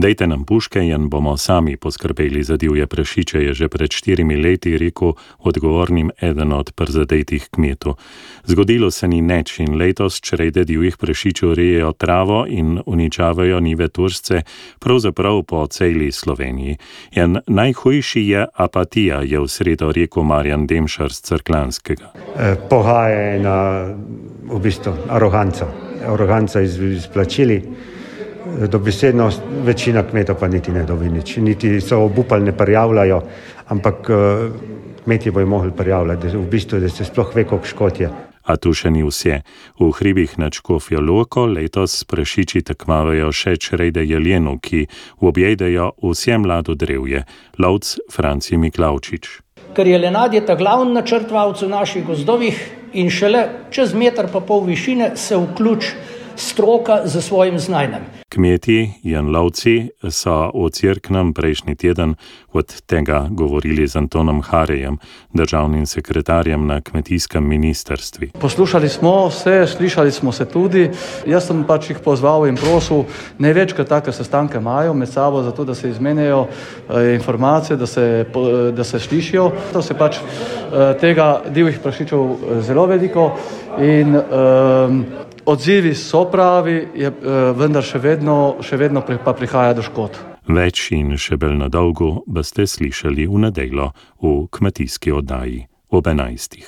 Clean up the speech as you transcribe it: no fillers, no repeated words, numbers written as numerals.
Dejte nam puške in bomo sami poskrbeli za divje prašiče, je že pred 4 leti rekel odgovornim eden od prizadetih kmetov. Zgodilo se ni nič in letos črede divjih prašičev rejejo travo in uničavajo njive tursce, pravzaprav po celi Sloveniji. In najhujši je apatija, je v sredo rekel Marjan Demšar z Cerkljanskega. Pohaja ena v bistvu aroganca izplačili. Dobesedno večina kmetov pa niti ne dobi nič, niti so obupali ne prijavljajo, ampak kmetje bojo mogli prijavljati, v bistvu, da se sploh ve, koliko škod je. A tu še ni vse. V hribih nad Škofjo Loko letos prašiči tekmavajo še črede jelenu, ki objejdejo vse mlado drevje. Lovc Franci Miklavčič. Ker jelenad je ta glavni načrtovalec v naših gozdovih in šele čez 1,5 metra višine se vključi stroka za svojim znanjem. Kmeti in lovci so v Cerknem prejšnji teden od tega govorili z Antonom Harejem, državnim sekretarjem na kmetijskem ministrstvu. Poslušali smo se, slišali smo se tudi. Jaz sem jih pozval in prosil, največkrat take sestanke imajo med sabo, zato da se izmenjajo informacije, da se slišijo. To se tega divjih prašičev zelo veliko in odzivi so pravi, vendar še vedno pa prihaja do škod. Več in še bolj na dolgo boste slišali v nedeljo v kmetijski oddaji ob 11.